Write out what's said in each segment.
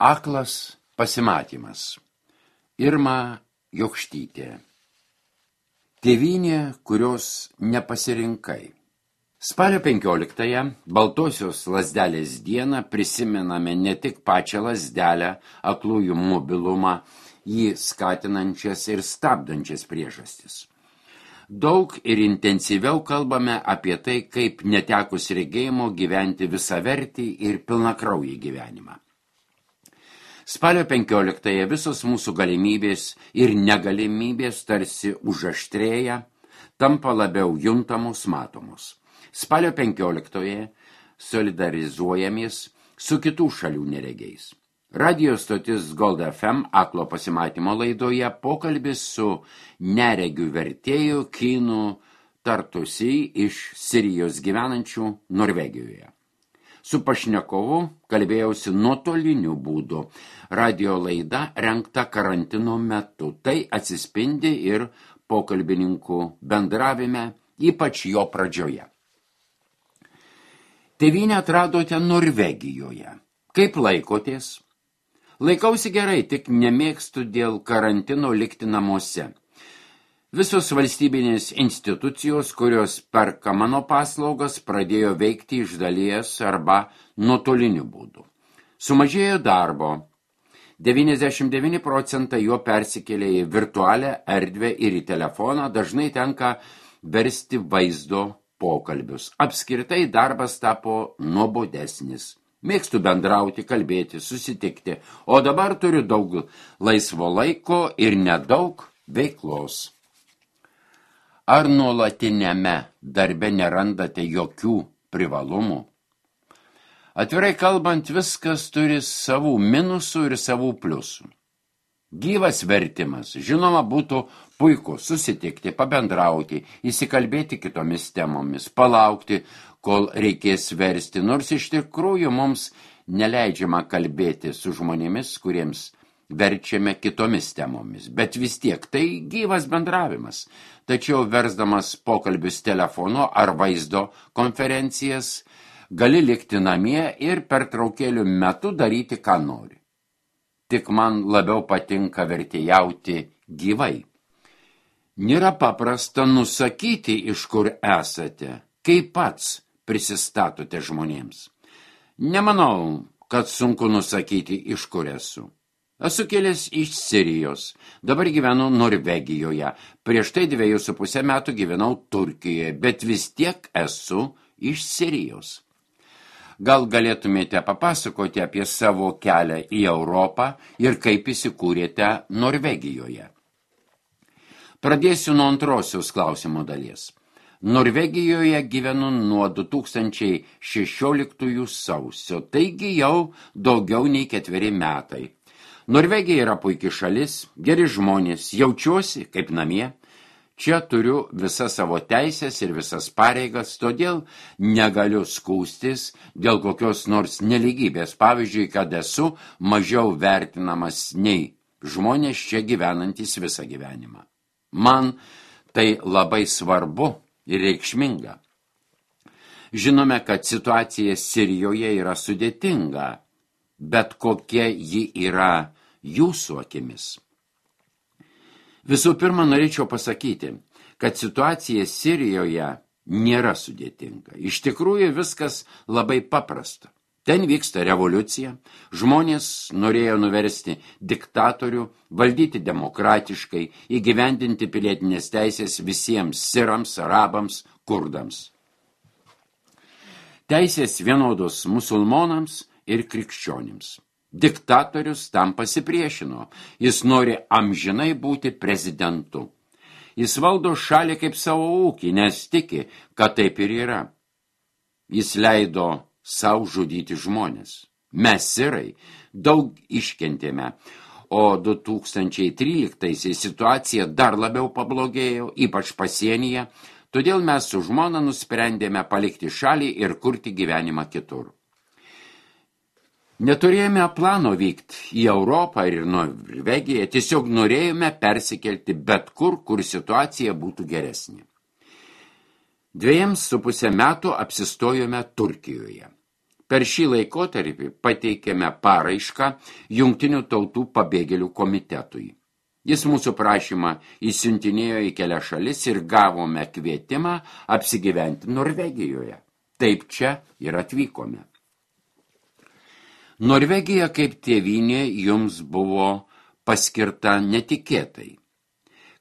Aklas pasimatymas. Irma Jokštytė. Tėvynė, kurios nepasirinkai. Spalio 15-ąją, Baltosios lazdelės dieną, prisimename ne tik pačią lazdelę, aklųjų mobilumą, jį skatinančias ir stabdančias priežastis. Daug ir intensyviau kalbame apie tai, kaip netekus regėjimo gyventi visavertį ir pilnakraujį gyvenimą. Spalio 15-ąją visos mūsų galimybės ir negalimybės tarsi užaštrėja, tampa labiau juntamos, matomos. Spalio 15-ąją solidarizuojamės su kitų šalių neregiais. Radio stotis Gold FM aklo pasimatymo laidoje pokalbis su neregių vertėju Kinu Tartusi iš Sirijos gyvenančių Norvegijoje. Su pašnekovu kalbėjausi nuotoliniu būdu. Radio laida rengta karantino metu. Tai atsispindi ir pokalbininkų bendravime, ypač jo pradžioje. Tėvynę atradote Norvegijoje. Kaip laikotės? Laikausi gerai, tik nemėgstu dėl karantino likti namuose. Visos valstybinės institucijos, kurios perka mano paslaugas, pradėjo veikti iš dalies arba nuotoliniu būdu. Sumažėjo darbo. 99% jo persikėlė į virtualią erdvę ir į telefoną, dažnai tenka versti vaizdo pokalbius. Apskritai darbas tapo nuobodesnis. Mėgstu bendrauti, kalbėti, susitikti, o dabar turiu daug laisvo laiko ir nedaug veiklos. Ar nuolatiniame darbe nerandate jokių privalumų? Atvirai kalbant, viskas turi savų minusų ir savų pliusų. Gyvas vertimas, žinoma, būtų puiku susitikti, pabendrauti, įsikalbėti kitomis temomis, palaukti, kol reikės versti, nors iš tikrųjų mums neleidžiama kalbėti su žmonėmis, kuriems verčiame kitomis temomis, bet vis tiek tai gyvas bendravimas. Tačiau versdamas pokalbius telefonu ar vaizdo konferencijas, gali likti namie ir pertraukėlių metu daryti, ką nori. Tik man labiau patinka vertėjauti gyvai. Nėra paprasta nusakyti, iš kur esate, kaip pats prisistatote žmonėms. Nemanau, kad sunku nusakyti, iš kur esu. Esu kilęs iš Sirijos, dabar gyvenu Norvegijoje, prieš tai 2,5 metų gyvenau Turkijoje, bet vis tiek esu iš Sirijos. Gal galėtumėte papasakoti apie savo kelią į Europą ir kaip įsikūrėte Norvegijoje? Pradėsiu nuo antrosios klausimo dalies. Norvegijoje gyvenu nuo 2016 sausio, taigi jau daugiau nei 4 metai. Norvegija yra puiki šalis, geri žmonės, jaučiuosi kaip namie. Čia turiu visas savo teisės ir visas pareigas, todėl negaliu skųstis dėl kokios nors nelygybės. Pavyzdžiui, kad esu mažiau vertinamas nei žmonės čia gyvenantys visą gyvenimą. Man tai labai svarbu ir reikšminga. Žinome, kad situacija Sirijoje yra sudėtinga, bet kokia ji yra jūsų akimis. Visų pirma, norėčiau pasakyti, kad situacija Sirijoje nėra sudėtinga. Iš tikrųjų viskas labai paprasta. Ten vyksta revoliucija, žmonės norėjo nuversti diktatorių, valdyti demokratiškai, įgyvendinti pilietinės teisės visiems sirams, arabams, kurdams. Teisės vienodos musulmonams ir krikščionims. Diktatorius tam pasipriešino, jis nori amžinai būti prezidentu. Jis valdo šalį kaip savo ūkį, nes tiki, kad taip ir yra. Jis leido sau žudyti žmonės. Mes sirai daug iškentėme, o 2013 situacija dar labiau pablogėjo, ypač pasienyje, todėl mes su žmona nusprendėme palikti šalį ir kurti gyvenimą kitur. Neturėjome plano vykti į Europą ir Norvegiją, tiesiog norėjome persikelti bet kur, kur situacija būtų geresnė. 2,5 metų apsistojome Turkijoje. Per šį laikotarpį pateikėme paraišką Jungtinių tautų pabėgėlių komitetui. Jis mūsų prašymą įsiuntinėjo į kelias šalis ir gavome kvietimą apsigyventi Norvegijoje. Taip čia ir atvykome. Norvegija kaip tėvynė jums buvo paskirta netikėtai.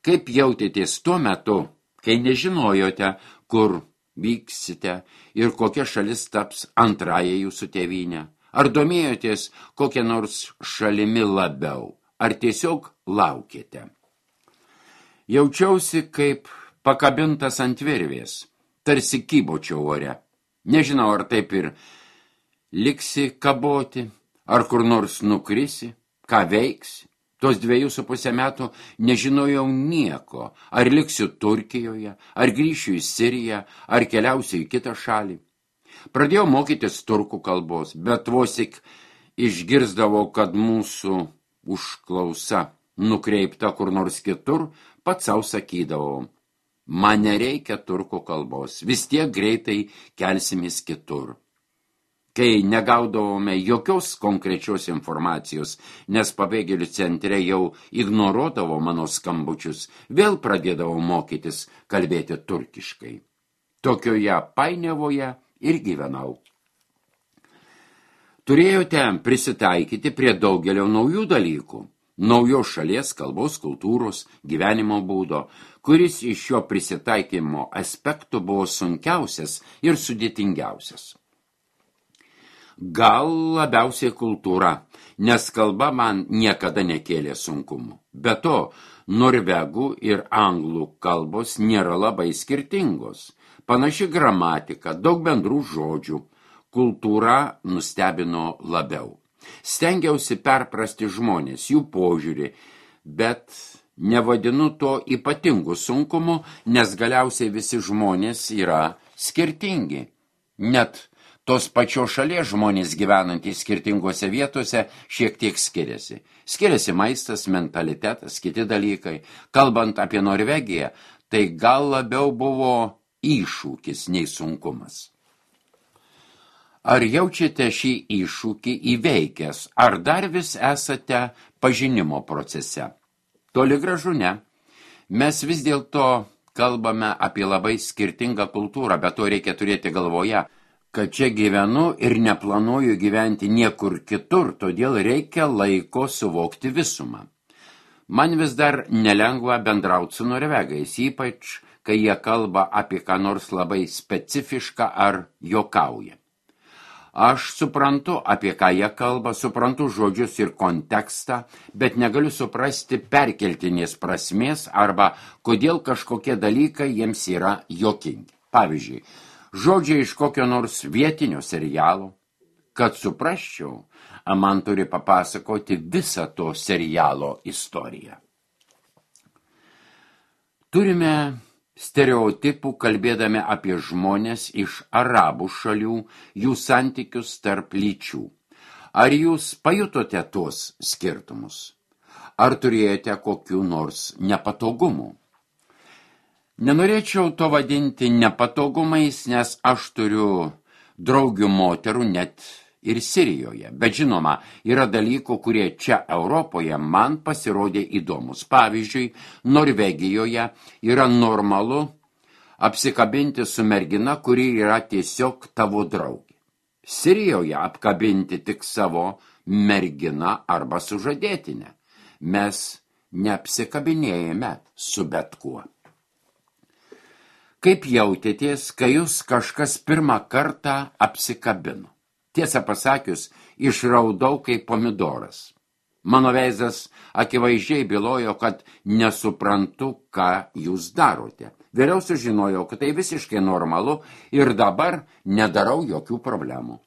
Kaip jautėtės tuo metu, kai nežinojote, kur vyksite ir kokia šalis taps antrąją jūsų tėvynę? Ar domėjotės kokią nors šalimi labiau? Ar tiesiog laukėte? Jaučiausi kaip pakabintas ant virvės, tarsi kybočiau ore. Nežinau, ar taip ir liksi kaboti, ar kur nors nukrisi, ką veiksi. Tos 2,5 metų nežinojau nieko, ar liksiu Turkijoje, ar grįšiu į Siriją, ar keliausiu į kitą šalį. Pradėjau mokytis turkų kalbos, bet vos tik išgirsdavau, kad mūsų užklausa nukreipta kur nors kitur, pats savo sakydavau, man nereikia turkų kalbos, vis tiek greitai kelsimės kitur. Kai negaudavome jokios konkrečios informacijos, nes pabėgėlių centre jau ignoruodavo mano skambučius, vėl pradėdavau mokytis kalbėti turkiškai. Tokioje painiavoje ir gyvenau. Turėjote prisitaikyti prie daugelio naujų dalykų, naujos šalies, kalbos, kultūros, gyvenimo būdo, kuris iš šio prisitaikymo aspektų buvo sunkiausias ir sudėtingiausias. Gal labiausiai kultūra, nes kalba man niekada nekėlė sunkumų. Be to, norvegų ir anglų kalbos nėra labai skirtingos. Panaši gramatika, daug bendrų žodžių. Kultūra nustebino labiau. Stengiausi perprasti žmonės, jų požiūrį, bet nevadinu to ypatingu sunkumu, nes galiausiai visi žmonės yra skirtingi. Net tos pačios šalies žmonės gyvenantys skirtingose vietose šiek tiek skiriasi. Skiriasi maistas, mentalitetas, kiti dalykai. Kalbant apie Norvegiją, tai gal labiau buvo iššūkis nei sunkumas. Ar jaučiate šį iššūkį įveikęs, ar dar vis esate pažinimo procese? Toli gražu ne. Mes vis dėlto kalbame apie labai skirtingą kultūrą, bet to reikia turėti galvoje, kad čia gyvenu ir neplanuoju gyventi niekur kitur, todėl reikia laiko suvokti visumą. Man vis dar nelengva bendrauti su norvegais, ypač kai jie kalba apie ką nors labai specifišką ar juokauja. Aš suprantu, apie ką jie kalba, suprantu žodžius ir kontekstą, bet negaliu suprasti perkeltinės prasmės arba kodėl kažkokie dalykai jiems yra juokingi. Pavyzdžiui, žodžiai iš kokio nors vietinio serialo. Kad suprasčiau, man turi papasakoti visą to serialo istoriją. Turime stereotipų kalbėdami apie žmonės iš arabų šalių, jų santykius tarp lyčių. Ar jūs pajutote tuos skirtumus? Ar turėjote kokių nors nepatogumų? Nenorėčiau to vadinti nepatogumais, nes aš turiu draugių moterų net ir Sirijoje. Bet žinoma, yra dalykų, kurie čia Europoje man pasirodė įdomus. Pavyzdžiui, Norvegijoje yra normalu apsikabinti su mergina, kuri yra tiesiog tavo draugė. Sirijoje apkabinti tik savo merginą arba sužadėtinę. Mes neapsikabinėjame su bet kuo. Kaip jautėtės, kai jūs kažkas pirmą kartą apsikabino? Tiesą pasakius, išraudau kaip pomidoras. Mano veidas akivaizdžiai bylojo, kad nesuprantu, ką jūs darote. Vėliau sužinojau, kad tai visiškai normalu ir dabar nedarau jokių problemų.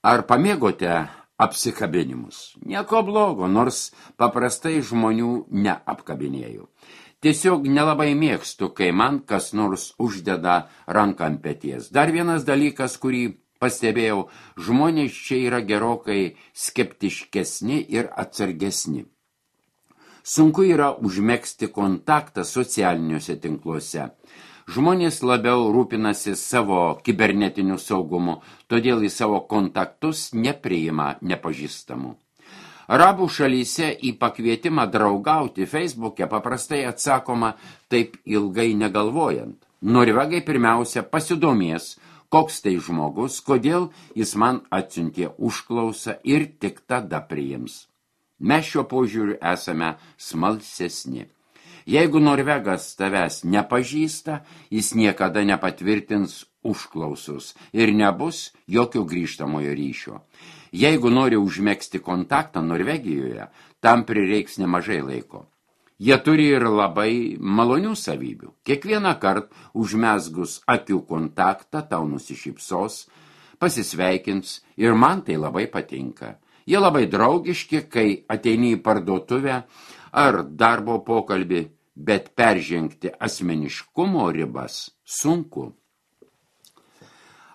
Ar pamėgote apsikabinimus? Nieko blogo, nors paprastai žmonių neapkabinėjau. Tiesiog nelabai mėgstu, kai man kas nors uždeda ranką ant peties. Dar vienas dalykas, kurį pastebėjau, žmonės čia yra gerokai skeptiškesni ir atsargesni. Sunku yra užmegzti kontaktą socialiniuose tinkluose. Žmonės labiau rūpinasi savo kibernetiniu saugumu, todėl į savo kontaktus nepriima nepažįstamų. Arabų šalyse į pakvietimą draugauti Facebook'e paprastai atsakoma taip ilgai negalvojant. Norvegai pirmiausia pasidomės, koks tai žmogus, kodėl jis man atsiuntė užklausą ir tik tada priims. Mes šiuo požiūriu esame smalsesni. Jeigu norvegas tavęs nepažįsta, jis niekada nepatvirtins užklausus ir nebus jokio grįžtamojo ryšio. Jeigu nori užmegzti kontaktą Norvegijoje, tam prireiks nemažai laiko. Jie turi ir labai malonių savybių. Kiekvieną kartą užmezgus akių kontaktą tau nusišypsos, pasisveikins ir man tai labai patinka. Jie labai draugiški, kai ateini į parduotuvę ar darbo pokalbį, bet peržengti asmeniškumo ribas sunku.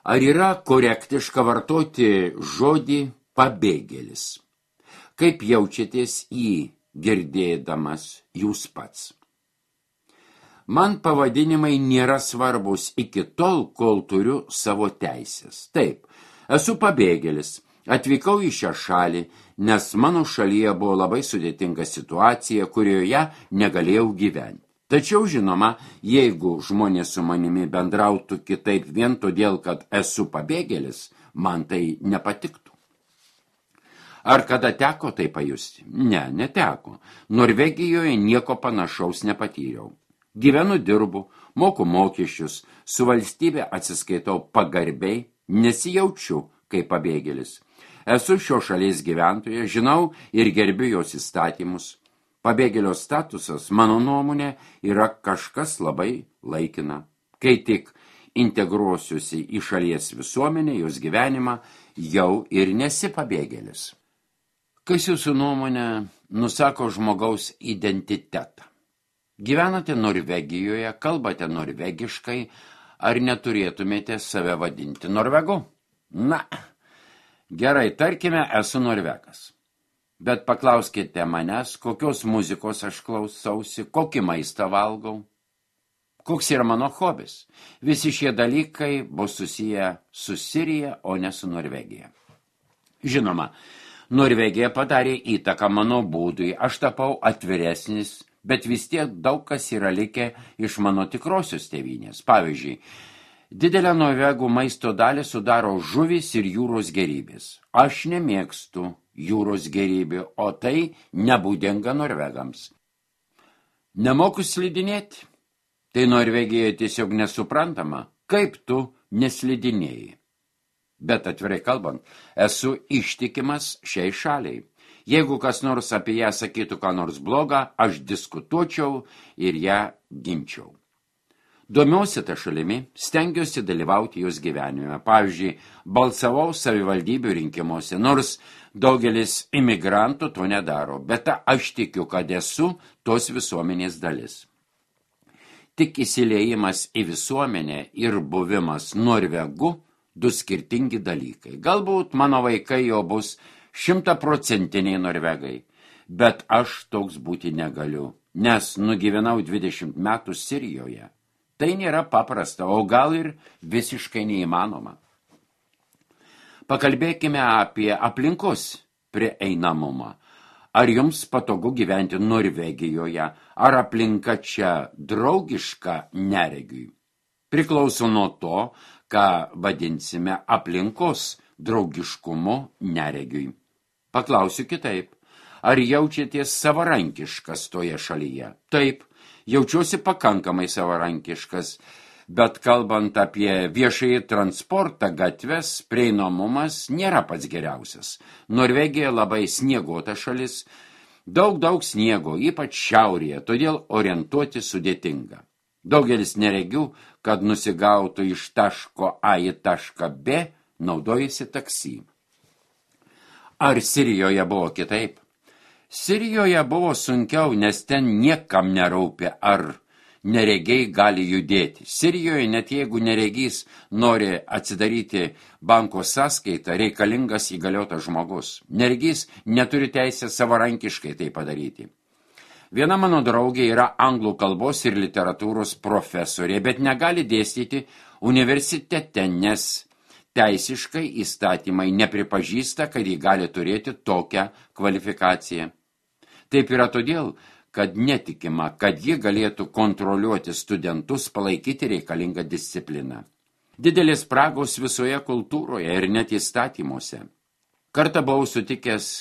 Ar yra korektiška vartoti žodį pabėgėlis? Kaip jaučiatės jį girdėdamas jūs pats? Man pavadinimai nėra svarbus iki tol, kol turiu savo teisės. Taip, esu pabėgėlis, atvykau į šią šalį, nes mano šalyje buvo labai sudėtinga situacija, kurioje negalėjau gyventi. Tačiau, žinoma, jeigu žmonės su manimi bendrautų kitaip vien todėl, kad esu pabėgėlis, man tai nepatiktų. Ar kada teko tai pajusti? Ne, neteko. Norvegijoje nieko panašaus nepatyriau. Gyvenu, dirbu, moku mokesčius, su valstybė atsiskaitau pagarbiai, nesijaučiu kaip pabėgėlis. Esu šio šalies gyventoja, žinau ir gerbiu jos įstatymus. Pabėgėlio statusas, mano nuomonė, yra kažkas labai laikina. Kai tik integruosiuosi į šalies visuomenę, jos gyvenimą, jau ir nesi pabėgėlis. Kas jūsų nuomonė nusako žmogaus identitetą? Gyvenate Norvegijoje, kalbate norvegiškai, ar neturėtumėte save vadinti norvegu? Na, gerai, tarkime, esu norvegas. Bet paklauskite manęs, kokios muzikos aš klausausi, kokį maistą valgau, koks yra mano hobis. Visi šie dalykai bus susiję su Sirija, o ne su Norvegija. Žinoma, Norvegija padarė įtaką mano būdui, aš tapau atviresnis, bet vis tiek daug kas yra likę iš mano tikrosios tėvynės. Pavyzdžiui, didelę norvegų maisto dalį sudaro žuvys ir jūros gėrybės. Aš nemėgstu jūros gėrybių, o tai nebūdinga norvegams. Nemoku slidinėti? Tai Norvegijoje tiesiog nesuprantama, kaip tu neslidinėjai. Bet atvirai kalbant, esu ištikimas šiai šaliai. Jeigu kas nors apie ją sakytų ką nors blogą, aš diskutuočiau ir ją ginčiau. Domiuosi tą šalimi, stengiuosi dalyvauti jos gyvenime. Pavyzdžiui, balsavau savivaldybių rinkimuose, nors daugelis imigrantų to nedaro, bet aš tikiu, kad esu tos visuomenės dalis. Tik įsiliejimas į visuomenę ir buvimas norvegu du skirtingi dalykai. Galbūt mano vaikai jau bus 100% norvegai, bet aš toks būti negaliu, nes nugyvenau 20 metų Sirijoje. Tai nėra paprasta, o gal ir visiškai neįmanoma. Pakalbėkime apie aplinkos prieinamumą. Ar jums patogu gyventi Norvegijoje, ar aplinka čia draugiška neregiui? Priklauso nuo to, ką vadinsime aplinkos draugiškumu neregiui. Paklausiu kitaip. Ar jaučiatės savarankiškas toje šalyje? Taip, jaučiuosi pakankamai savarankiškas, bet kalbant apie viešąjį transportą, gatves, prieinamumas nėra pats geriausias. Norvegija labai snieguota šalis, daug sniego, ypač šiaurėje, todėl orientuoti sudėtinga. Daugelis neregių, kad nusigautų iš taško A į tašką B, naudojasi taksi. Ar Sirijoje buvo kitaip? Sirijoje buvo sunkiau, nes ten niekam nerūpi, ar neregiai gali judėti. Sirijoje, net jeigu neregys nori atsidaryti banko sąskaitą, reikalingas įgaliotas žmogus. Neregys neturi teisę savarankiškai tai padaryti. Viena mano draugė yra anglų kalbos ir literatūros profesorė, bet negali dėstyti universitete, nes teisiškai įstatymai nepripažįsta, kad ji gali turėti tokią kvalifikaciją. Taip yra todėl, kad netikima, kad ji galėtų kontroliuoti studentus, palaikyti reikalingą discipliną. Didelės spragos visoje kultūroje ir net įstatymuose. Kartą buvau sutikęs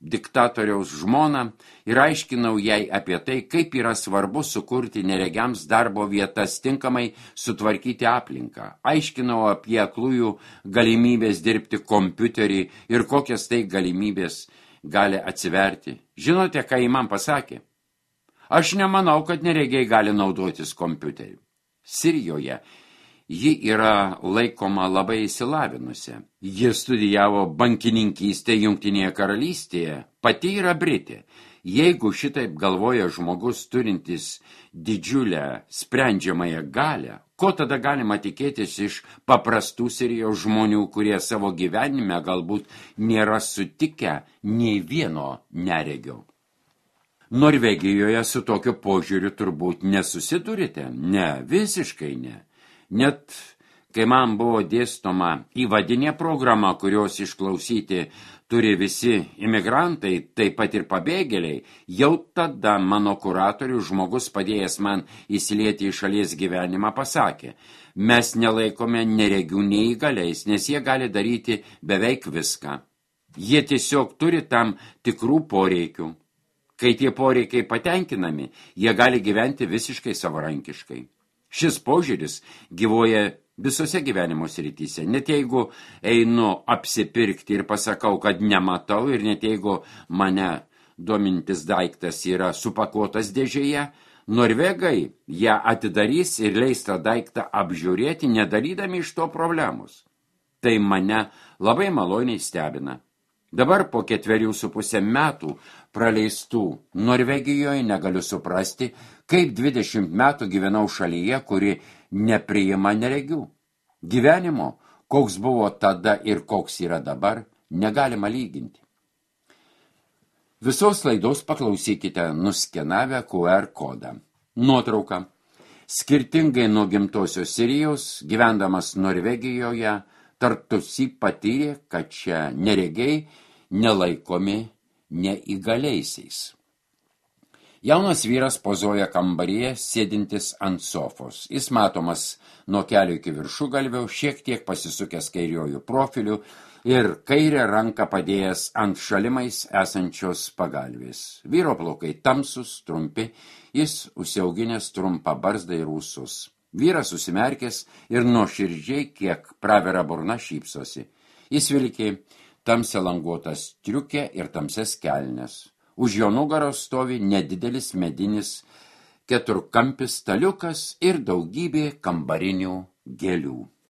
diktatoriaus žmoną ir aiškinau jai apie tai, kaip yra svarbu sukurti neregiams darbo vietas, tinkamai sutvarkyti aplinką. Aiškinau apie aklųjų galimybės dirbti kompiuterį ir kokias tai galimybės gali atsiverti. Žinote, ką ji man pasakė? Aš nemanau, kad neregiai gali naudotis kompiuteriu. Sirijoje ji yra laikoma labai įsilavinusi. Ji studijavo bankininkystę Jungtinėje karalystėje, pati yra Britė. Jeigu šitaip galvoja žmogus turintis didžiulę sprendžiamąją galią, ko tada galima tikėtis iš paprastų Sirijos žmonių, kurie savo gyvenime galbūt nėra sutikę nei vieno neregio? Norvegijoje su tokiu požiūriu turbūt nesusidurite? Ne, visiškai ne. Net kai man buvo dėstoma įvadinė programa, kurios išklausyti turi visi imigrantai, taip pat ir pabėgėliai, jau tada mano kuratorius, žmogus padėjęs man įsilieti į šalies gyvenimą, pasakė, mes nelaikome neregių neįgaliais, nes jie gali daryti beveik viską. Jie tiesiog turi tam tikrų poreikių. Kai tie poreikiai patenkinami, jie gali gyventi visiškai savarankiškai. Šis požiūris gyvuoja visose gyvenimo srityse. Net jeigu einu apsipirkti ir pasakau, kad nematau, ir net jeigu mane domintis daiktas yra supakuotas dėžėje, norvegai ją atidarys ir leis tą daiktą apžiūrėti, nedarydami iš to problemos. Tai mane labai maloniai stebina. Dabar po 4,5 metų praleistų Norvegijoje negaliu suprasti, kaip 20 metų gyvenau šalyje, kuri nepriima neregių. Gyvenimo, koks buvo tada ir koks yra dabar, negalima lyginti. Visos laidos paklausykite nuskenavę QR kodą. Nuotrauka. Skirtingai nuo gimtosios Sirijos, gyvendamas Norvegijoje, Tartusi patyrė, kad čia neregiai nelaikomi neįgaliaisiais. Jaunas vyras pozuoja kambaryje, sėdintis ant sofos. Jis matomas nuo kelio iki viršugalvio, šiek tiek pasisukęs kairiojų profilių ir kairę ranką padėjęs ant šalimais esančios pagalvės. Vyro plaukai tamsus, trumpi, jis užsiauginęs trumpą barzdą ir ūsus. Vyras susimerkęs ir nuoširdžiai, kiek pravera burna, šypsosi. Jis vilki tamsią languotą striukę ir tamsias kelnes. Už jo nugaros stovi nedidelis medinis keturkampis staliukas ir daugybė kambarinių gėlių.